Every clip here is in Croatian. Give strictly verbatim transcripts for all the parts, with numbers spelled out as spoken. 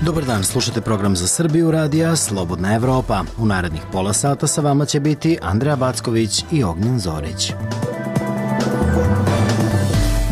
Dobar dan, slušate program za Srbiju radija Slobodna Evropa. U narednih pola sata sa vama će biti Andreja Backović i Ognjen Zorić.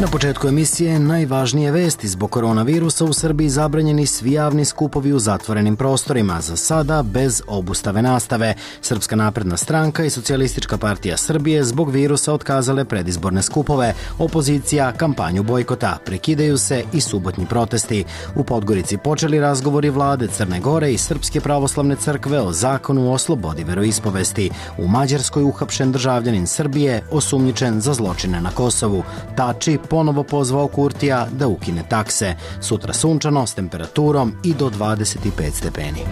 Na početku emisije najvažnije vesti. Zbog koronavirusa u Srbiji zabranjeni svi javni skupovi u zatvorenim prostorima, za sada bez obustave nastave. Srpska napredna stranka i Socijalistička partija Srbije zbog virusa otkazale predizborne skupove. Opozicija kampanju bojkota. Prekidaju se i subotnji protesti. U Podgorici počeli razgovori vlade Crne Gore i Srpske pravoslavne crkve o zakonu o slobodi veroispovesti. U Mađarskoj uhapšen državljanin Srbije osumnjičen za zločine na Kosovu. Tači ponovo pozvao Kurtija da ukine takse. Sutra sunčano s temperaturom i do dvadeset pet stepeni.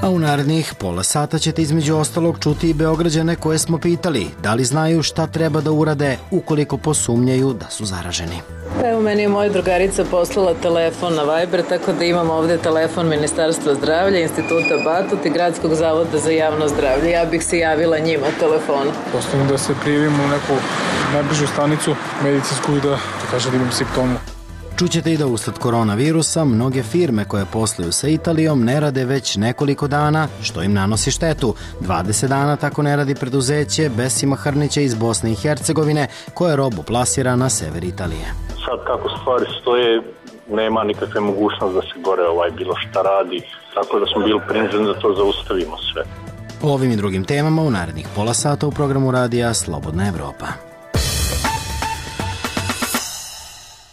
A u narednih pola sata ćete između ostalog čuti i Beograđane koje smo pitali da li znaju šta treba da urade ukoliko posumnjaju da su zaraženi. Evo, meni je moja drugarica poslala telefon na Viber, tako da imam ovdje telefon Ministarstva zdravlja, Instituta Batut i Gradskog zavoda za javno zdravlje. Ja bih se javila njima telefonu. Postavim da se prijavim u neku najbližu stanicu medicinsku i da, da kažem da imam simptomu. Čućete i da usled koronavirusa mnoge firme koje posluju sa Italijom ne rade već nekoliko dana, što im nanosi štetu. dvadeset dana tako ne radi preduzeće Besima Hrnića iz Bosne i Hercegovine, koje robu plasira na sever Italije. Sad kako stvari stoje, nema nikakve mogućnosti da se gore ovaj bilo šta radi, tako da smo bili prinuđeni da to zaustavimo sve. O ovim i drugim temama u narednih pola sata u programu radija Slobodna Evropa.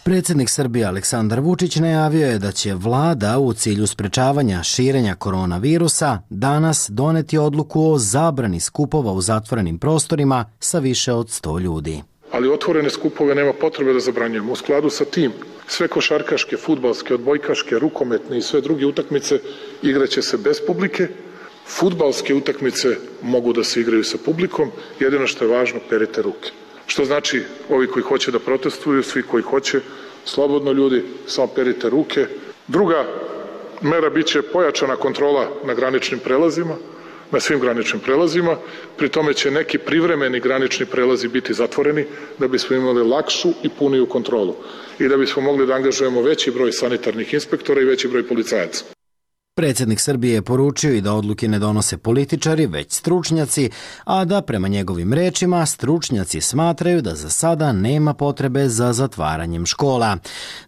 Predsjednik Srbije Aleksandar Vučić najavio je da će vlada u cilju sprečavanja širenja koronavirusa danas doneti odluku o zabrani skupova u zatvorenim prostorima sa više od sto ljudi. Ali otvorene skupove nema potrebe da zabranjujemo. U skladu sa tim, sve košarkaške, fudbalske, odbojkaške, rukometne i sve druge utakmice igraće se bez publike. Fudbalske utakmice mogu da se igraju sa publikom, jedino što je važno, perite ruke. Što znači, ovi koji hoće da protestuju, svi koji hoće, slobodno ljudi, samo perite ruke. Druga mera biće pojačana kontrola na graničnim prelazima, na svim graničnim prelazima, pri tome će neki privremeni granični prelazi biti zatvoreni da bismo imali lakšu i puniju kontrolu i da bismo mogli da angažujemo veći broj sanitarnih inspektora i veći broj policajaca. Predsjednik Srbije je poručio i da odluke ne donose političari, već stručnjaci, a da prema njegovim rečima stručnjaci smatraju da za sada nema potrebe za zatvaranjem škola.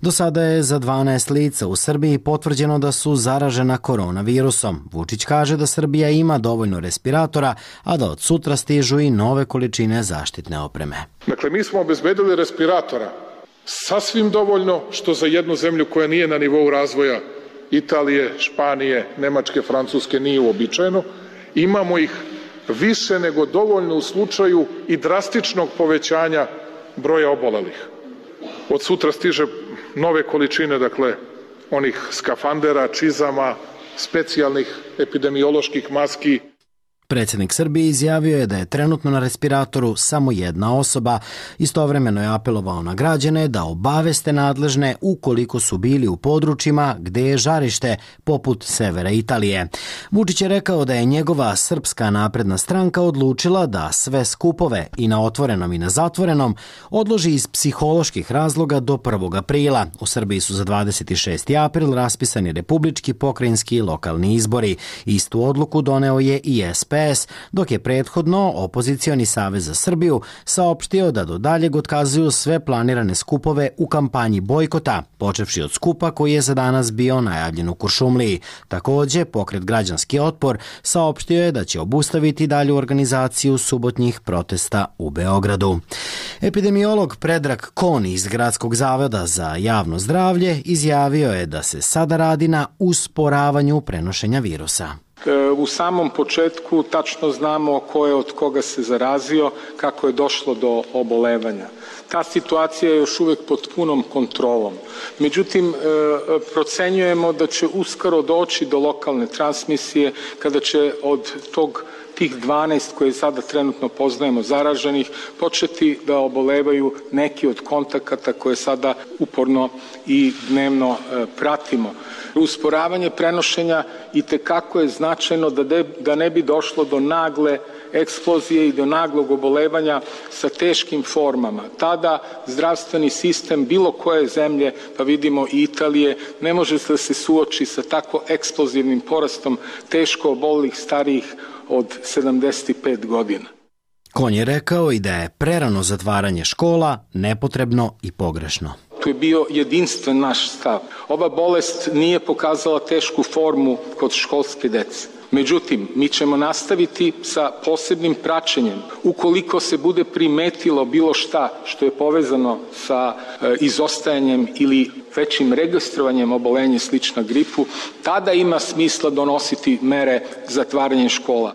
Do sada je za dvanaest lica u Srbiji potvrđeno da su zaražena koronavirusom. Vučić kaže da Srbija ima dovoljno respiratora, a da od sutra stižu i nove količine zaštitne opreme. Dakle, mi smo obezbedili respiratora sasvim dovoljno, što za jednu zemlju koja nije na nivou razvoja Italije, Španije, Nemačke, Francuske nije uobičajeno. Imamo ih više nego dovoljno u slučaju i drastičnog povećanja broja obolelih. Od sutra stiže nove količine, dakle, onih skafandera, čizama, specijalnih epidemioloških maski. Predsjednik Srbije izjavio je da je trenutno na respiratoru samo jedna osoba. Istovremeno je apelovao na građane da obaveste nadležne ukoliko su bili u područjima gde je žarište, poput severa Italije. Vučić je rekao da je njegova Srpska napredna stranka odlučila da sve skupove i na otvorenom i na zatvorenom odloži iz psiholoških razloga do prvog aprila. U Srbiji su za dvadeset šesti april raspisani republički, pokrajinski i lokalni izbori. Istu odluku doneo je i S P S, dok je prethodno opozicioni Savez za Srbiju saopštio da do daljeg otkazuju sve planirane skupove u kampanji bojkota, počevši od skupa koji je za danas bio najavljen u Kuršumliji. Također, pokret Građanski otpor saopštio je da će obustaviti dalju organizaciju subotnjih protesta u Beogradu. Epidemiolog Predrag Kon iz Gradskog zavoda za javno zdravlje izjavio je da se sada radi na usporavanju prenošenja virusa. U samom početku tačno znamo ko je od koga se zarazio, kako je došlo do obolevanja. Ta situacija je još uvijek pod punom kontrolom. Međutim, procenjujemo da će uskoro doći do lokalne transmisije kada će od tog tih dvanaest koje sada trenutno poznajemo zaraženih početi da obolevaju neki od kontakata koje sada uporno i dnevno pratimo. Usporavanje prenošenja itekako je značajno da, de, da ne bi došlo do nagle eksplozije i do naglog obolevanja sa teškim formama. Tada zdravstveni sistem bilo koje zemlje, pa vidimo i Italije, ne može da se suoči sa tako eksplozivnim porastom teško obolelih starijih od sedamdeset pet godina. Konj je rekao i da je prerano zatvaranje škola nepotrebno i pogrešno. Tu je bio jedinstven naš stav. Ova bolest nije pokazala tešku formu kod školske dece. Međutim, mi ćemo nastaviti sa posebnim praćenjem. Ukoliko se bude primetilo bilo šta što je povezano sa e, izostajanjem ili većim registrovanjem obolenja slična gripu, tada ima smisla donositi mere zatvaranja škola.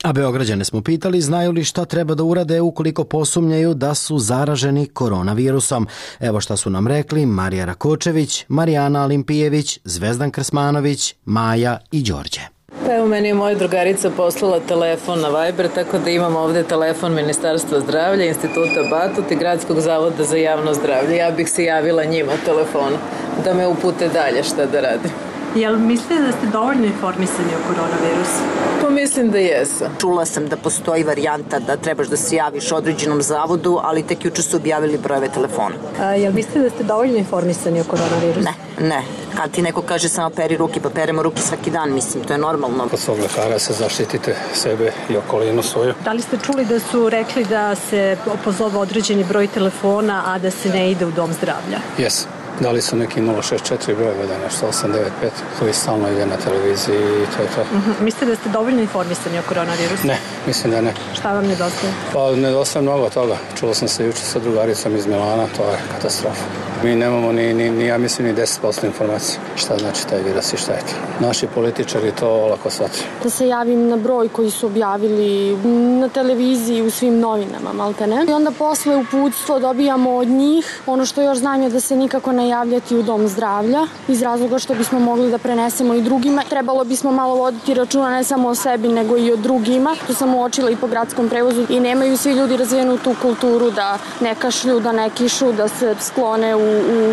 A Beograđane smo pitali znaju li šta treba da urade ukoliko posumnjaju da su zaraženi koronavirusom. Evo šta su nam rekli Marija Rakočević, Marijana Olimpijević, Zvezdan Krsmanović, Maja i Đorđe. Pa evo, meni je moja drugarica poslala telefon na Viber, tako da imam ovde telefon Ministarstva zdravlja, Instituta Batut i Gradskog zavoda za javno zdravlje. Ja bih se javila njima telefonu da me upute dalje šta da radim. Jel mislite da ste dovoljno informisani o koronavirusu? Pa mislim da jesam. Čula sam da postoji varijanta da trebaš da se javiš određenom zavodu, ali tek juče su objavili brojeve telefona. A, jel mislite da ste dovoljno informisani o koronavirusu? Ne, ne. Kad ti neko kaže samo peri ruke, pa peremo ruke svaki dan, mislim, to je normalno. Kod svog lekara se zaštitite sebe i okolinu svoju. Da li ste čuli da su rekli da se pozove određeni broj telefona, a da se ne ide u dom zdravlja? Jes. Dali su neki nula šest četiri brojeve, da nešto osam devet pet, koji stalno ide na televiziji i to je to. Uh-huh. Mislite da ste dovoljno informisani o koronavirusu? Ne, mislim da ne. Šta vam nedostaje? Pa nedostaje mnogo toga. Čulo sam se juče sa drugaricom iz Milana, to je katastrofa. Mi nemamo ni, ni, ni ja mislim, ni deset posto informacije. Šta znači taj virus i šta je to? Naši političari to lako shvataju. Da se javim na broj koji su objavili na televiziji, u svim novinama, malte ne. I onda posle uputstvo dobijamo od njih. Ono što još znam je da se nikako ne javljati u dom zdravlja, iz razloga što bismo mogli da prenesemo i drugima. Trebalo bismo malo voditi računa ne samo o sebi, nego i o drugima. To sam uočila i po gradskom prevozu i nemaju svi ljudi razvijenu tu kulturu da ne kašlju, da ne kišu, da se sklone u,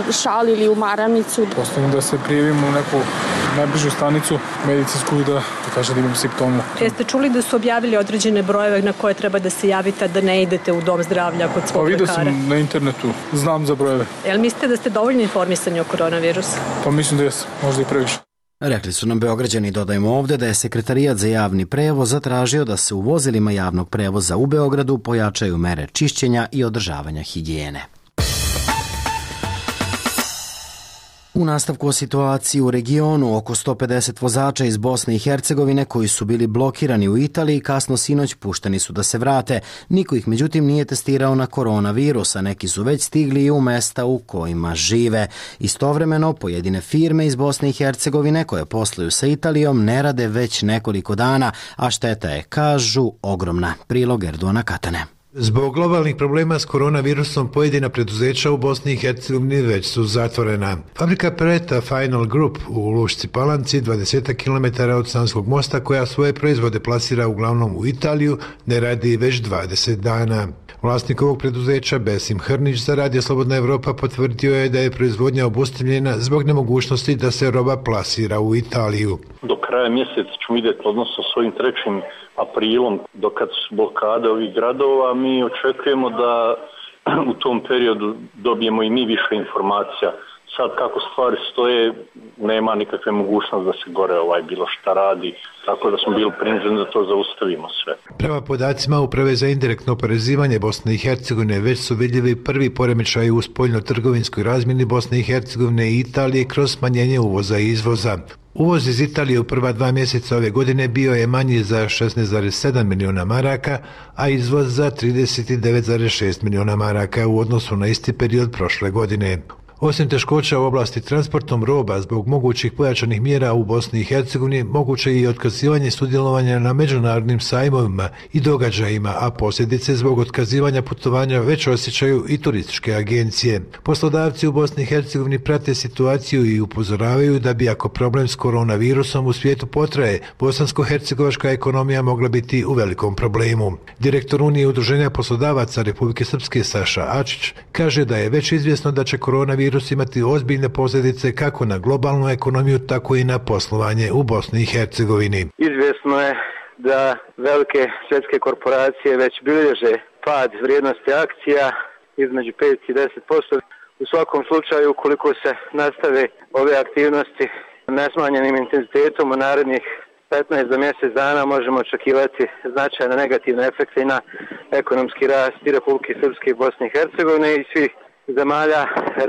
u šal ili u maramicu. Postavim da se prijavim u neku najbližu stanicu medicinsku i da, da kaže da imam simptome. Jeste čuli da su objavili određene brojeve na koje treba da se javite, da ne idete u dom zdravlja kod svog pa, lekara? Pa vidio sam na internetu, znam za brojeve. Jel mislite da ste dovoljno informisani o koronavirusu? Pa mislim da jesam, možda i previše. Rekli su nam Beograđani, dodajemo ovde, da je Sekretarijat za javni prevoz zatražio da se u vozilima javnog prevoza u Beogradu pojačaju mere čišćenja i održavanja higijene. U nastavku o situaciji u regionu, oko sto pedeset vozača iz Bosne i Hercegovine koji su bili blokirani u Italiji kasno sinoć pušteni su da se vrate. Niko ih međutim nije testirao na koronavirus, a neki su već stigli i u mesta u kojima žive. Istovremeno, pojedine firme iz Bosne i Hercegovine koje posluju sa Italijom ne rade već nekoliko dana, a šteta je, kažu, ogromna. Prilog Erdoana Katane. Zbog globalnih problema s koronavirusom pojedina preduzeća u Bosni i Hercegovini već su zatvorena. Fabrika Preta Final Group u Lušci Palanci, dvadeset kilometara od Sanskog mosta, koja svoje proizvode plasira uglavnom u Italiju, ne radi već dvadeset dana. Vlasnik ovog preduzeća Besim Hrnić za Radio Slobodna Evropa potvrdio je da je proizvodnja obustavljena zbog nemogućnosti da se roba plasira u Italiju. Do kraja mjeseca ćemo vidjeti, odnosno s ovim trećim aprilom, dokad su blokade ovih gradova, mi očekujemo da u tom periodu dobijemo i mi više informacija. Sad kako stvari stoje, nema nikakve mogućnosti da se gore ovaj bilo šta radi, tako da smo bili prinuđeni da to zaustavimo sve. Prema podacima Uprave za indirektno oporezivanje Bosne i Hercegovine već su vidljivi prvi poremećaji u spoljno-trgovinskoj razmjeni Bosne i Hercegovine i Italije kroz smanjenje uvoza i izvoza. Uvoz iz Italije u prva dva mjeseca ove godine bio je manji za šesnaest zarez sedam miliona maraka, a izvoz za trideset devet zarez šest miliona maraka u odnosu na isti period prošle godine. Osim teškoća u oblasti transportom roba zbog mogućih pojačanih mjera u Bosni i Hercegovini, moguće je i otkazivanje sudjelovanja na međunarodnim sajmovima i događajima, a posljedice zbog otkazivanja putovanja već osjećaju i turističke agencije. Poslodavci u Bosni i Hercegovini prate situaciju i upozoravaju da bi ako problem s koronavirusom u svijetu potraje, bosansko-hercegovačka ekonomija mogla biti u velikom problemu. Direktor Unije udruženja poslodavaca Republike Srpske Saša Ačić kaže da je već izvjesno da će koronavirus virus imati ozbiljne posljedice kako na globalnu ekonomiju, tako i na poslovanje u Bosni i Hercegovini. Izvjesno je da velike svjetske korporacije već bilježe pad vrijednosti akcija između pet i deset posto. U svakom slučaju, ukoliko se nastave ove aktivnosti nesmanjenim intenzitetom u narednih petnaest do mjesec dana, možemo očekivati značajne negativne efekte i na ekonomski rast i Republike Srpske i Bosne i Hercegovine i svih zemalja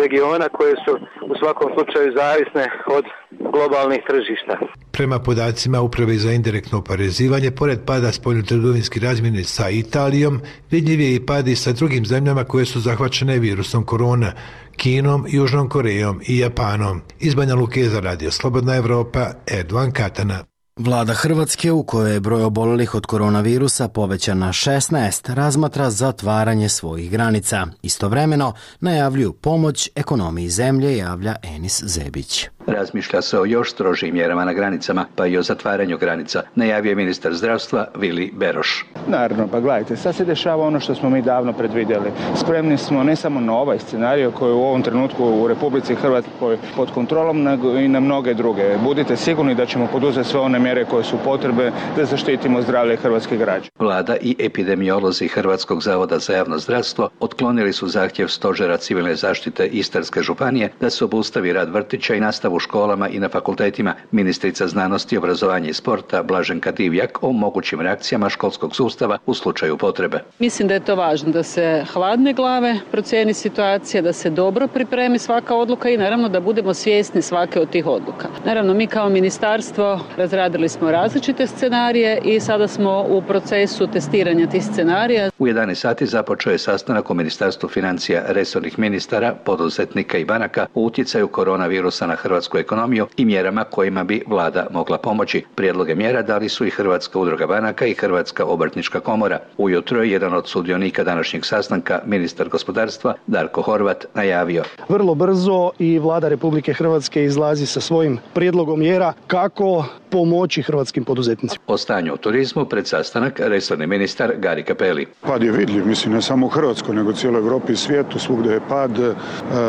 regiona koje su u svakom slučaju zavisne od globalnih tržišta. Prema podacima Uprave za indirektno oporezivanje, pored pada spoljnotrgovinske razmjene sa Italijom, vidljiv je i pad i sa drugim zemljama koje su zahvaćene virusom korona, Kinom, Južnom Korejom i Japanom. Iz Banja Luke za Radio Slobodna Evropa, Erdovan Katana. Vlada Hrvatske, u kojoj je broj obolelih od koronavirusa povećan na šesnaest, razmatra zatvaranje svojih granica. Istovremeno najavljuju pomoć ekonomiji zemlje, javlja Enis Zebić. Razmišlja se o još strožijim mjerama na granicama, pa i o zatvaranju granica, najavio je ministar zdravstva Vili Beroš. Naravno, pa gledajte, sad se dešava ono što smo mi davno predvidjeli. Spremni smo ne samo na ovaj scenarij koji je u ovom trenutku u Republici Hrvatskoj pod kontrolom, nego i na mnoge druge. Budite sigurni da ćemo poduzeti sve one mjere koje su potrebne da zaštitimo zdravlje hrvatskih građana. Vlada i epidemiolozi Hrvatskog zavoda za javno zdravstvo otklonili su zahtjev Stožera civilne zaštite Istarske županije da se obustavi rad vrtića i nastavu u školama i na fakultetima. Ministrica znanosti, obrazovanja i sporta Blaženka Divjak o mogućim reakcijama školskog sustava u slučaju potrebe. Mislim da je to važno da se hladne glave procijeni situacija, da se dobro pripremi svaka odluka i naravno da budemo svjesni svake od tih odluka. Naravno, mi kao ministarstvo razradili smo različite scenarije i sada smo u procesu testiranja tih scenarija. U jedanaest sati započeo je sastanak u Ministarstvu financija resornih ministara, poduzetnika i banaka o utjecaju koronavirusa na hrvatsku ekonomiju i mjerama kojima bi vlada mogla pomoći. Prijedloge mjera dali su i Hrvatska udruga banaka i Hrvatska obrtnička komora. Ujutro je jedan od sudionika današnjeg sastanka, ministar gospodarstva Darko Horvat, najavio. Vrlo brzo i vlada Republike Hrvatske izlazi sa svojim prijedlogom mjera kako pomoći hrvatskim poduzetnicima. O stanju u turizmu pred sastanak resorni ministar Gari Cappelli. Pad je vidljiv, mislim ne samo u Hrvatskoj, nego u cijeloj Europi i svijetu, svugdje je pad. E,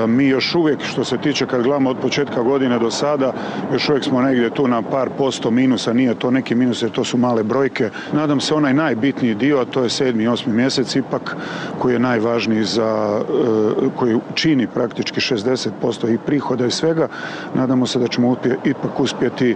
mi još uvijek, što se tiče kad gledamo od početka godine do sada, još uvijek smo negdje tu na par posto minusa, nije to neki minus jer to su male brojke. Nadam se onaj najbitniji dio, a to je sedmi i osmi mjesec ipak, koji je najvažniji za, e, koji čini praktički šezdeset posto i prihoda i svega. Nadamo se da ćemo uspje, ipak uspjeti e,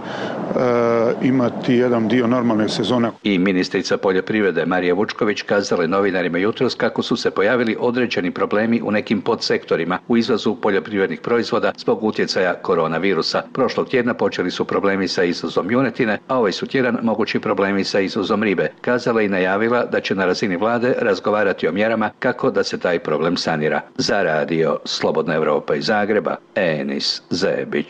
imati jedan dio normalne sezone. I ministrica poljoprivrede Marija Vučković kazala je novinarima jutros kako su se pojavili određeni problemi u nekim podsektorima u izvozu poljoprivrednih proizvoda zbog utjecaja koronavirusa. Prošlog tjedna počeli su problemi sa izvozom junetine, a ovaj su tjedan mogući problemi sa izvozom ribe. Kazala i najavila da će na razini vlade razgovarati o mjerama kako da se taj problem sanira. Za radio Slobodna Evropa iz Zagreba, Enis Zebić.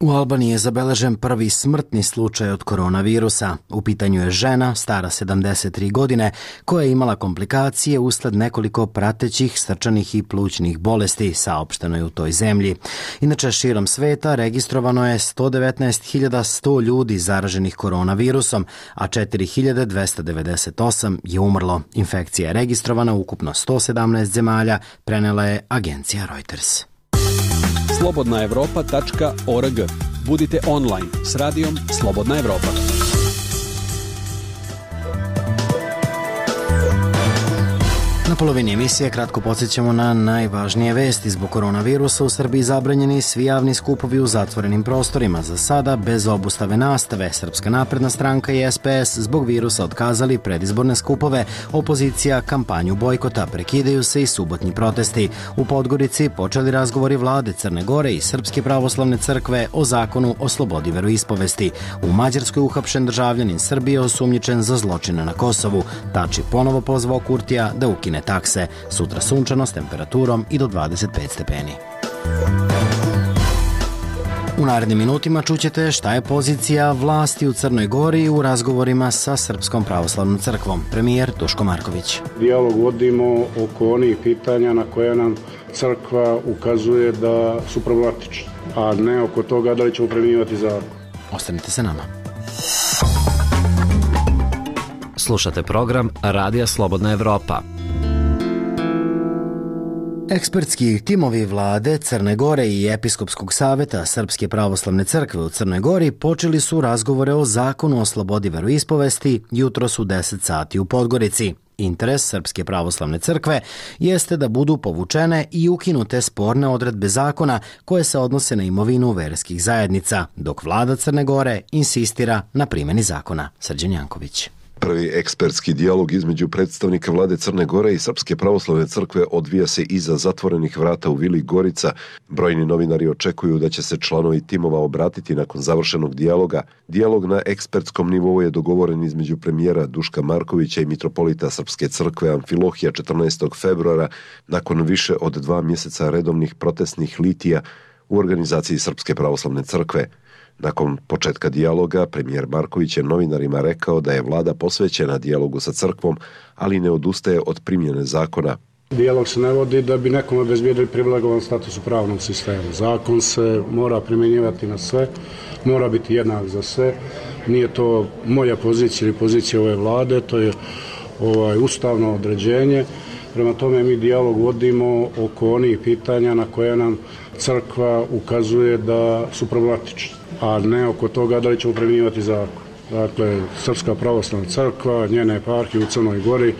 U Albaniji je zabeležen prvi smrtni slučaj od koronavirusa. U pitanju je žena, stara sedamdeset tri godine, koja je imala komplikacije usled nekoliko pratećih srčanih i plućnih bolesti, saopšteno je u toj zemlji. Inače, širom sveta registrovano je sto devetnaest hiljada sto ljudi zaraženih koronavirusom, a četiri hiljade dvesta devedeset osam je umrlo. Infekcija je registrovana u ukupno sto sedamnaest zemalja, prenela je agencija Reuters. slobodna evropa tačka org. Budite online s radijom Slobodna Evropa. Na polovini emisije kratko podsjećamo na najvažnije vesti. Zbog koronavirusa u Srbiji zabranjeni svi javni skupovi u zatvorenim prostorima. Za sada bez obustave nastave. Srpska napredna stranka i S P S zbog virusa otkazali predizborne skupove. Opozicija kampanju bojkota. Prekidaju se i subotnji protesti. U Podgorici počeli razgovori vlade Crne Gore i Srpske pravoslavne crkve o zakonu o slobodi veroispovesti. U Mađarskoj uhapšen državljanin Srbije osumnjičen za zločine na Kosovu. Tači ponovo pozvao Kurtija da ukine takse. Sutra sunčano s temperaturom i do dvadeset pet stepeni. U narednim minutima čućete šta je pozicija vlasti u Crnoj Gori u razgovorima sa Srpskom pravoslavnom crkvom. Premijer Duško Marković. Dijalog vodimo oko onih pitanja na koje nam crkva ukazuje da su problematični, a ne oko toga da li ćemo primjenjivati zakon. Ostanite sa nama. Slušate program Radija Slobodna Evropa. Ekspertski timovi vlade Crne Gore i Episkopskog saveta Srpske pravoslavne crkve u Crnoj Gori počeli su razgovore o zakonu o slobodi veroispovesti jutros u deset sati u Podgorici. Interes Srpske pravoslavne crkve jeste da budu povučene i ukinute sporne odredbe zakona koje se odnose na imovinu verskih zajednica, dok vlada Crne Gore insistira na primjeni zakona. Srđan Janković. Prvi ekspertski dijalog između predstavnika vlade Crne Gore i Srpske pravoslavne crkve odvija se iza zatvorenih vrata u Vili Gorica. Brojni novinari očekuju da će se članovi timova obratiti nakon završenog dijaloga. Dijalog na ekspertskom nivou je dogovoren između premijera Duška Markovića i mitropolita Srpske crkve Amfilohija četrnaestog februara nakon više od dva mjeseca redovnih protestnih litija u organizaciji Srpske pravoslavne crkve. Nakon početka dijaloga, premijer Marković je novinarima rekao da je vlada posvećena dijalogu sa crkvom, ali ne odustaje od primjene zakona. Dijalog se ne vodi da bi nekom obezbijedili privilegovan status u pravnom sistemu. Zakon se mora primjenjivati na sve, mora biti jednak za sve. Nije to moja pozicija ili pozicija ove vlade, to je ovaj, ustavno određenje. Prema tome mi dijalog vodimo oko onih pitanja na koje nam crkva ukazuje da su problematične, a ne oko toga da li ćemo primjenjivati zakon. Dakle, Srpska pravoslavna crkva, njene eparhije u Crnoj Gori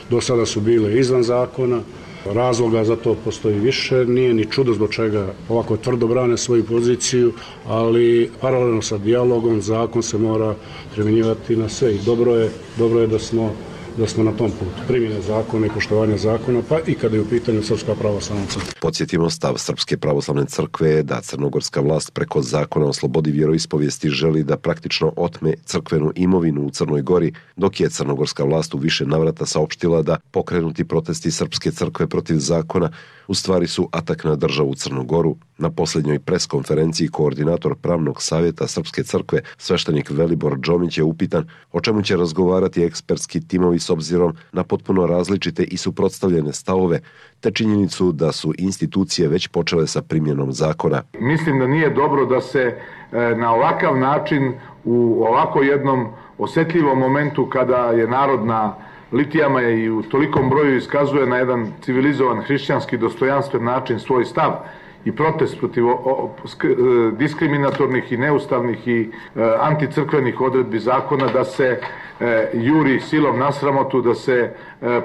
do sada su bile izvan zakona. Razloga za to postoji više, nije ni čudo zbog čega ovako tvrdo brane svoju poziciju, ali paralelno sa dijalogom zakon se mora primjenjivati na sve i dobro je, dobro je da smo da smo na tom putu primjene zakona i poštovanja zakona, pa i kada je u pitanju Srpska pravoslavna crkva. Podsjetimo, stav Srpske pravoslavne crkve je da crnogorska vlast preko zakona o slobodi vjeroispovijesti želi da praktično otme crkvenu imovinu u Crnoj Gori, dok je crnogorska vlast u više navrata saopštila da pokrenuti protesti Srpske crkve protiv zakona u stvari su atak na državu Crnu Goru. Na posljednjoj preskonferenciji koordinator pravnog savjeta Srpske crkve, sveštenik Velibor Džomić, je upitan o čemu će razgovarati ekspertski timovi s obzirom na potpuno različite i suprotstavljene stavove, te činjenicu da su institucije već počele sa primjenom zakona. Mislim da nije dobro da se na ovakav način u ovako jednom osjetljivom momentu kada je narod na litijama i u tolikom broju iskazuje na jedan civilizovan hrišćanski dostojanstven način svoj stav i protest protiv diskriminatornih i neustavnih i anticrkvenih odredbi zakona, da se juri silom na sramotu, da se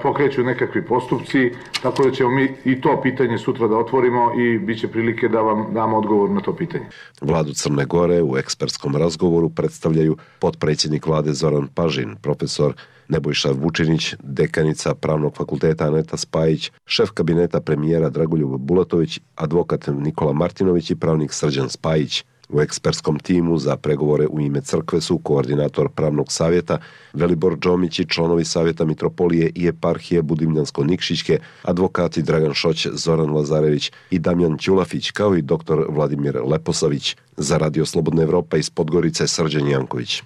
pokreću nekakvi postupci, tako da ćemo mi i to pitanje sutra da otvorimo i bit će prilike da vam damo odgovor na to pitanje. Vladu Crne Gore u ekspertskom razgovoru predstavljaju potpredsjednik vlade Zoran Pažin, profesor Nebojša Vučinić, dekanica Pravnog fakulteta Aneta Spajić, šef kabineta premijera Dragoljub Bulatović, advokat Nikola Martinović i pravnik Srđan Spajić. U ekspertskom timu za pregovore u ime crkve su koordinator pravnog savjeta Velibor Džomić i članovi savjeta mitropolije i eparhije Budimljansko-Nikšićke, advokati Dragan Šoć, Zoran Lazarević i Damjan Ćulafić, kao i doktor Vladimir Leposavić. Za Radio Slobodna Evropa iz Podgorice, Srđan Janković.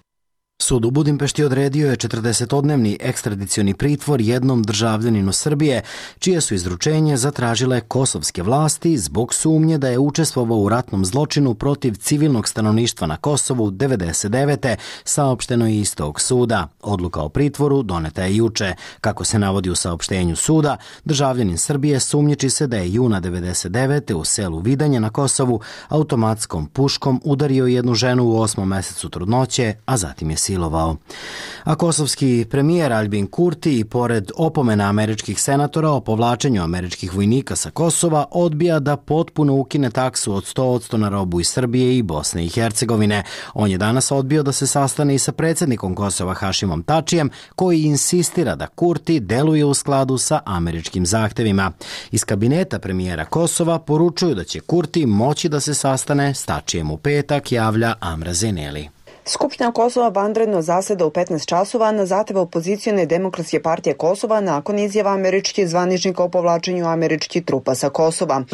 Sud u Budimpešti odredio je četrdesetodnevni ekstradicioni pritvor jednom državljaninu Srbije, čije su izručenje zatražile kosovske vlasti zbog sumnje da je učestvovao u ratnom zločinu protiv civilnog stanovništva na Kosovu devedeset devete. Saopšteno je iz tog suda. Odluka o pritvoru doneta je juče. Kako se navodi u saopštenju suda, državljanin Srbije sumnjiči se da je juna devedeset devete. u selu Vidanje na Kosovu automatskom puškom udario jednu ženu u osmom mesecu trudnoće, a zatim je silovao. A kosovski premijer Aljbin Kurti, pored opomena američkih senatora o povlačenju američkih vojnika sa Kosova, odbija da potpuno ukine taksu od sto posto na robu iz Srbije i Bosne i Hercegovine. On je danas odbio da se sastane i sa predsjednikom Kosova Hašimom Tačijem, koji insistira da Kurti deluje u skladu sa američkim zahtevima. Iz kabineta premijera Kosova poručuju da će Kurti moći da se sastane s Tačijem u petak, javlja Amra Zeneli. Skupština Kosova vanredno zaseda u petnaest časova na zahtjev opozicione demokratske partije Kosova nakon izjava američkih zvaničnika o povlačenju američkih trupa sa Kosova.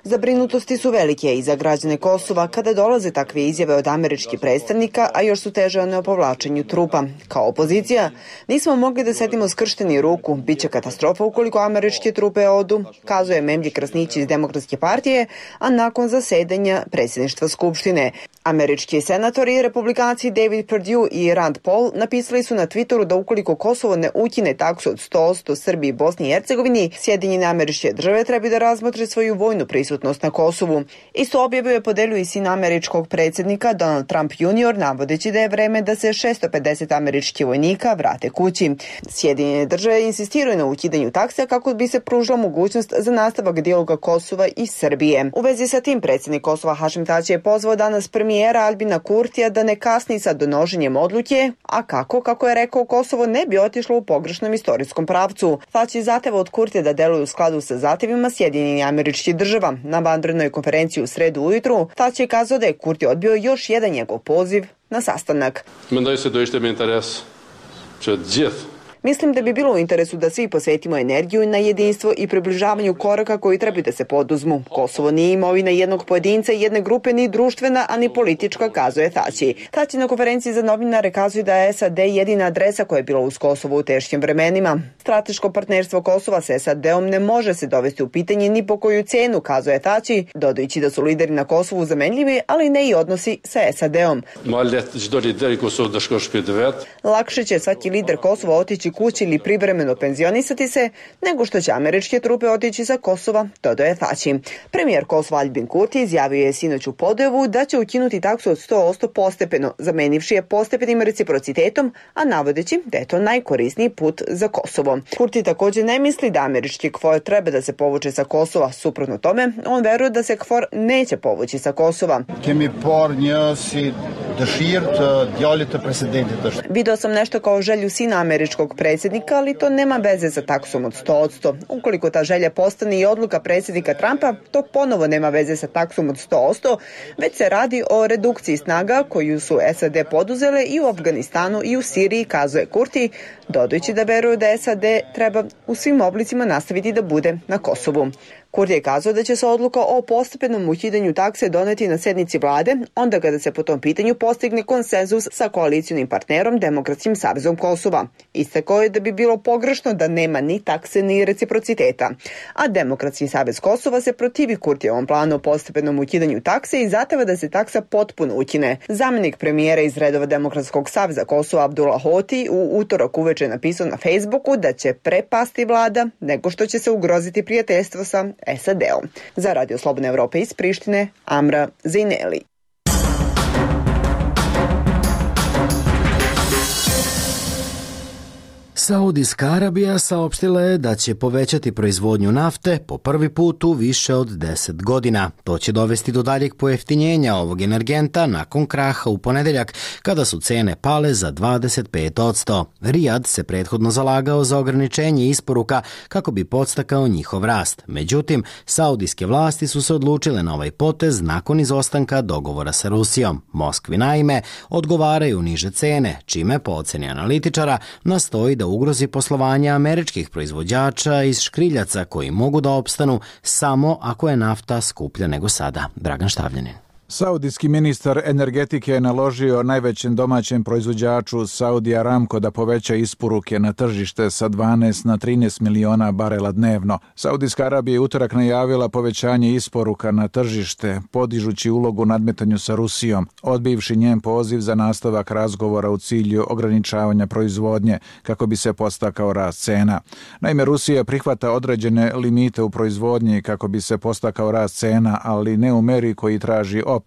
Zabrinutosti su velike i za građane Kosova kada dolaze takve izjave od američkih predstavnika, a još su teže one o povlačenju trupa. Kao opozicija nismo mogli da sedimo skršteni ruku, bit će katastrofa ukoliko američke trupe odu, kazuje Memlji Krasnić iz demokratske partije, a nakon zasedanja predsjedništva predsedništva Skupštine. Američki senatori, republikanci David Perdue i Rand Paul napisali su na Twitteru da ukoliko Kosovo ne ukine taksu od sto posto Srbiji i Bosni i Hercegovini, Sjedinjene Američke Države treba da razmotre svoju vojnu prisutnost na Kosovu. Isto objavu je podelio i sin američkog predsjednika Donald Trump junior, navodeći da je vreme da se šesto pedeset američkih vojnika vrate kući. Sjedinjene Države insistiraju na ukidanju takse kako bi se pružila mogućnost za nastavak dijaloga Kosova i Srbije. U vezi sa tim predsjednik Kosova Hašim Tači je pozvao danas premijera Albina Kurtija da ne kasni sa donošenjem odluke, a kako, kako je rekao, Kosovo ne bi otišlo u pogrešnom istorijskom pravcu. Tači zahteva od Kurtija da deluje u skladu sa zahtjevima Sjedinjenih Američkih Država. Na vanrednoj konferenciji u sredu ujutru Tači je kazao da je Kurti odbio još jedan njegov poziv na sastanak. Mendoj se do ishte me interes që të gjithë Mislim da bi bilo u interesu da svi posvetimo energiju na jedinstvo i približavanju koraka koji treba da se poduzmu. Kosovo nije imovina jednog pojedinca, jedne grupe, ni društvena, a ni politička, kazuje Tači. Tači na konferenciji za novinare kazuje da je S A D jedina adresa koja je bila uz Kosovo u teškim vremenima. Strateško partnerstvo Kosova s S A D-om ne može se dovesti u pitanje ni po koju cenu, kazuje Tači, dodajući da su lideri na Kosovu zamenljivi, ali ne i odnosi sa S A D-om. Lakše će svaki lider Kosova otići kući ili privremeno penzionisati se, nego što će američke trupe otići sa Kosova, dodaje Tači. Premijer Kosova Albin Kurti izjavio je sinoć u Podujevu da će ukinuti taksu od sto posto postepeno, zamenivši je postepenim reciprocitetom, a navodeći da je to najkorisniji put za Kosovo. Kurti također ne misli da američki KFOR treba da se povuče sa Kosova. Suprotno tome, on veruje da se KFOR neće povući sa Kosova. Video sam nešto kao želju sina američkog predsjednika, ali to nema veze sa taksom od sto posto. Ukoliko ta želja postane i odluka predsjednika Trumpa, to ponovo nema veze sa taksom od sto posto, već se radi o redukciji snaga koju su S A D poduzele i u Afganistanu i u Siriji, kazuje Kurti, dodajući da veruje da S A D treba u svim oblicima nastaviti da bude na Kosovu. Kurti je kazao da će se odluka o postepenom ukidanju takse doneti na sednici vlade, onda kada se po tom pitanju postigne konsenzus sa koalicijonim partnerom Demokratskim savezom Kosova. Istakao je da bi bilo pogrešno da nema ni takse ni reciprociteta. A Demokratski savez Kosova se protivi Kurtijevom planu o postepenom ukidanju takse i zahteva da se taksa potpuno ukine. Zamenik premijera iz redova Demokratskog saveza Kosova Abdullah Hoti u utorak uveče napisao na Facebooku da će prepasti vlada nego što će se ugroziti prijateljstvo sa S A D-om. Za Radio Slobodne Evrope iz Prištine, Amra Zejneli. Saudijska Arabija saopštila je da će povećati proizvodnju nafte po prvi put u više od deset godina. To će dovesti do daljeg pojeftinjenja ovog energenta nakon kraha u ponedeljak, kada su cene pale za dvadeset pet posto. Rijad se prethodno zalagao za ograničenje isporuka kako bi podstakao njihov rast. Međutim, saudijske vlasti su se odlučile na ovaj potez nakon izostanka dogovora sa Rusijom. Moskvi naime odgovaraju niže cene, čime po oceni analitičara nastoji da ugrozi poslovanje američkih proizvođača iz škriljaca koji mogu da opstanu samo ako je nafta skuplja nego sada. Dragan Štavljanin. Saudijski ministar energetike je naložio najvećem domaćem proizvođaču Saudi Aramco da poveća isporuke na tržište sa dvanaest na trinaest miliona barela dnevno. Saudijska Arabija je utorak najavila povećanje isporuka na tržište, podižući ulogu u nadmetanju sa Rusijom, odbivši njen poziv za nastavak razgovora u cilju ograničavanja proizvodnje kako bi se podstakao rast cena. Naime, Rusija prihvata određene limite u proizvodnji kako bi se podstakao rast cena, ali ne u meri koji traži OPEC,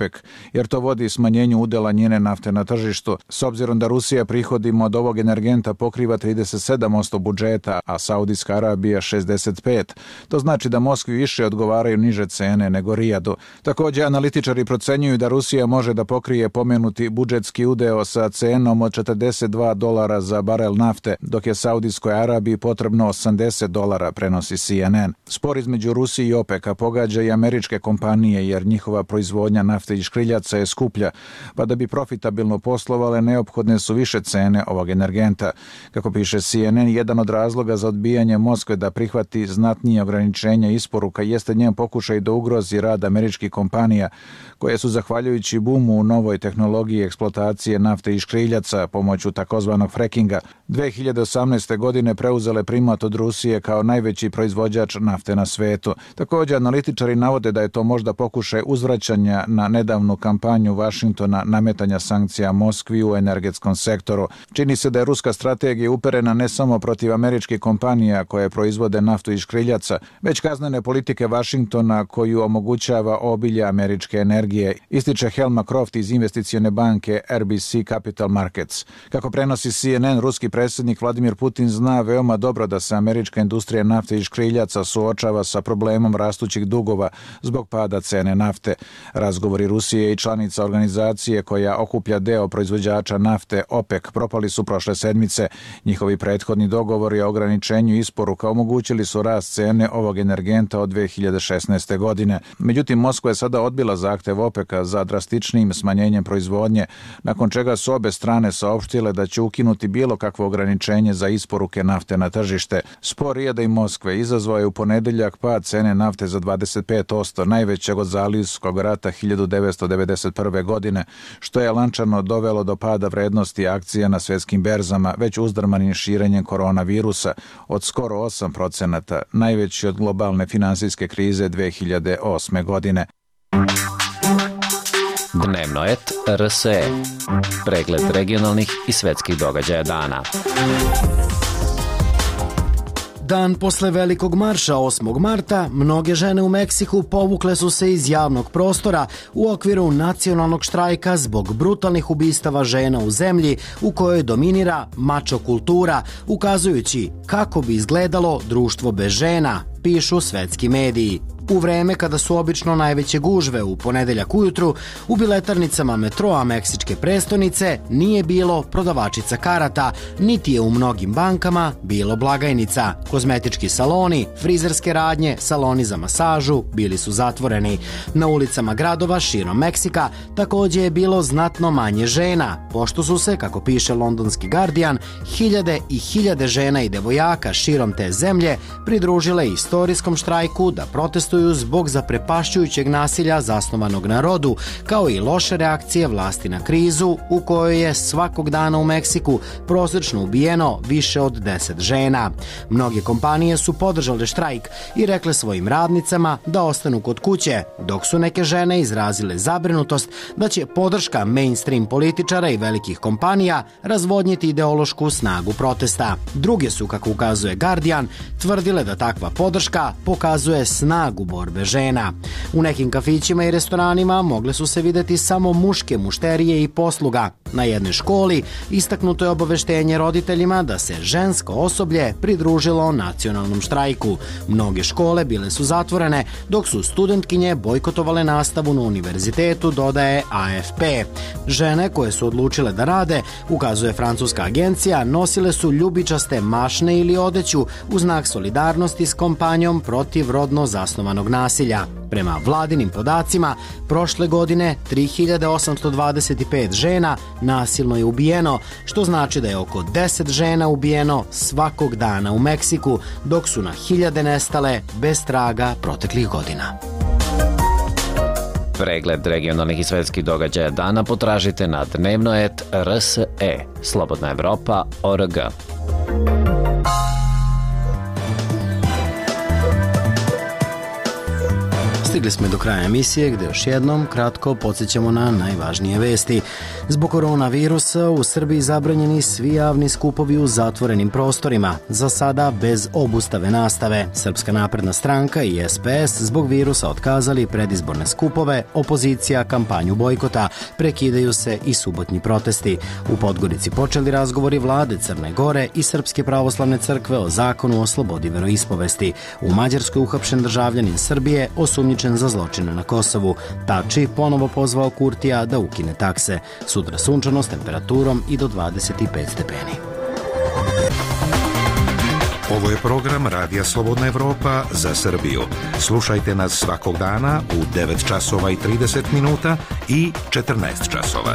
jer to vodi smanjenju udela njene nafte na tržištu. S obzirom da Rusija prihodima od ovog energenta pokriva trideset sedam posto budžeta, a Saudijska Arabija šezdeset pet posto, to znači da Moskvi više odgovaraju niže cene nego Rijadu. Također, analitičari procenjuju da Rusija može da pokrije pomenuti budžetski udeo sa cenom od četrdeset dva dolara za barel nafte, dok je Saudijskoj Arabiji potrebno osamdeset dolara, prenosi C N N. Spor između Rusije i OPEC-a pogađa i američke kompanije, jer njihova proizvodnja nafte i škriljaca je skuplja, pa da bi profitabilno poslovale neophodne su više cene ovog energenta. Kako piše C N N, jedan od razloga za odbijanje Moskve da prihvati znatnije ograničenja isporuka jeste njen pokušaj da ugrozi rad američkih kompanija, koje su zahvaljujući bumu u novoj tehnologiji eksploatacije nafte i škriljaca pomoću takozvanog frekinga dve hiljade osamnaeste. godine preuzele primat od Rusije kao najveći proizvođač nafte na svetu. Također, analitičari navode da je to možda pokušaj uzvraćanja na na nedavnu kampanju Vašingtona nametanja sankcija Moskvi u energetskom sektoru. Čini se da je ruska strategija uperena ne samo protiv američkih kompanija koje proizvode naftu iz škriljaca, već kaznene politike Vašingtona koju omogućava obilje američke energije, ističe Helma Croft iz investicione banke R B C Capital Markets. Kako prenosi C N N, ruski predsjednik Vladimir Putin zna veoma dobro da se američka industrija nafte iz škriljaca suočava sa problemom rastućih dugova zbog pada cene nafte. Razgovori Rusije i članica organizacije koja okuplja deo proizvođača nafte OPEC propali su prošle sedmice. Njihovi prethodni dogovori o ograničenju isporuka omogućili su rast cene ovog energenta od dve hiljade šesnaeste. godine. Međutim, Moskva je sada odbila zahtev OPEC-a za drastičnijim smanjenjem proizvodnje, nakon čega su obe strane saopštile da će ukinuti bilo kakvo ograničenje za isporuke nafte na tržište. Spor Rijada i Moskve izazvao je u ponedeljak pad cene nafte za dvadeset pet posto, najvećeg od Zalivskog rata hiljadu devetsto devedeset prve. godine, što je lančano dovelo do pada vrednosti akcija na svjetskim berzama, već uzdrmanim širenjem koronavirusa od skoro osam procenata, najveći od globalne finansijske krize dve hiljade osme. godine. Dnevno et R S E. Pregled regionalnih i svetskih događaja dana. Dan posle velikog marša osmog marta, mnoge žene u Meksiku povukle su se iz javnog prostora u okviru nacionalnog štrajka zbog brutalnih ubistava žena u zemlji u kojoj dominira mačo kultura, ukazujući kako bi izgledalo društvo bez žena, pišu svetski mediji. U vreme kada su obično najveće gužve u ponedeljak ujutru, u biletarnicama metroa meksičke prestonice nije bilo prodavačica karata, niti je u mnogim bankama bilo blagajnica. Kozmetički saloni, frizerske radnje, saloni za masažu bili su zatvoreni. Na ulicama gradova širom Meksika također je bilo znatno manje žena, pošto su se, kako piše londonski Guardian, hiljade i hiljade žena i devojaka širom te zemlje pridružile istorijskom štrajku da protestuju zbog zaprepašćujućeg nasilja zasnovanog na rodu, kao i loše reakcije vlasti na krizu u kojoj je svakog dana u Meksiku prosječno ubijeno više od deset žena. Mnoge kompanije su podržale štrajk i rekle svojim radnicama da ostanu kod kuće, dok su neke žene izrazile zabrinutost da će podrška mainstream političara i velikih kompanija razvodniti ideološku snagu protesta. Druge su, kako ukazuje Guardian, tvrdile da takva podrška pokazuje snagu borbe žena. U nekim kafićima i restoranima mogle su se videti samo muške mušterije i posluga. Na jednoj školi istaknuto je obaveštenje roditeljima da se žensko osoblje pridružilo nacionalnom štrajku. Mnoge škole bile su zatvorene, dok su studentkinje bojkotovale nastavu na univerzitetu, dodaje A F P. Žene koje su odlučile da rade, ukazuje francuska agencija, nosile su ljubičaste mašne ili odeću u znak solidarnosti s kampanjom protiv rodno zasnovanog nasilja. Prema vladinim podacima, prošle godine tri hiljade osamsto dvadeset pet žena nasilno je ubijeno, što znači da je oko deset žena ubijeno svakog dana u Meksiku, dok su na hiljade nestale bez traga proteklih godina. Pregled regionalnih i svetskih događaja dana potražite na dnevno et R S E, Slobodna Evropa, O R G. Stigli smo do kraja emisije gde još jednom kratko podsjećamo na najvažnije vesti. Zbog koronavirusa u Srbiji zabranjeni svi javni skupovi u zatvorenim prostorima, za sada bez obustave nastave. Srpska napredna stranka i S P S zbog virusa otkazali predizborne skupove, opozicija kampanju bojkota, prekidaju se i subotnji protesti. U Podgorici počeli razgovori vlade Crne Gore i Srpske pravoslavne crkve o zakonu o slobodi veroispovesti. U Mađarskoj uhapšen državljanin Srbije osumnjičen za zločine na Kosovu. Tači ponovo pozvao Kurtija da ukine takse. Sutra sunčano s temperaturom i do dvadeset pet stepeni. Ovo je program Radija Slobodna Evropa za Srbiju. Slušajte nas svakog dana u devet časova i trideset minuta i četrnaest časova.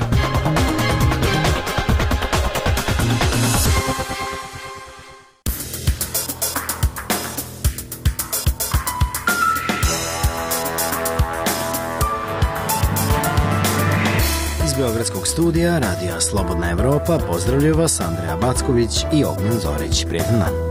Beogradskog studija Radija Slobodna Evropa pozdravljaju vas Andreja Backović i Ognjen Zorić. Prijetan dan.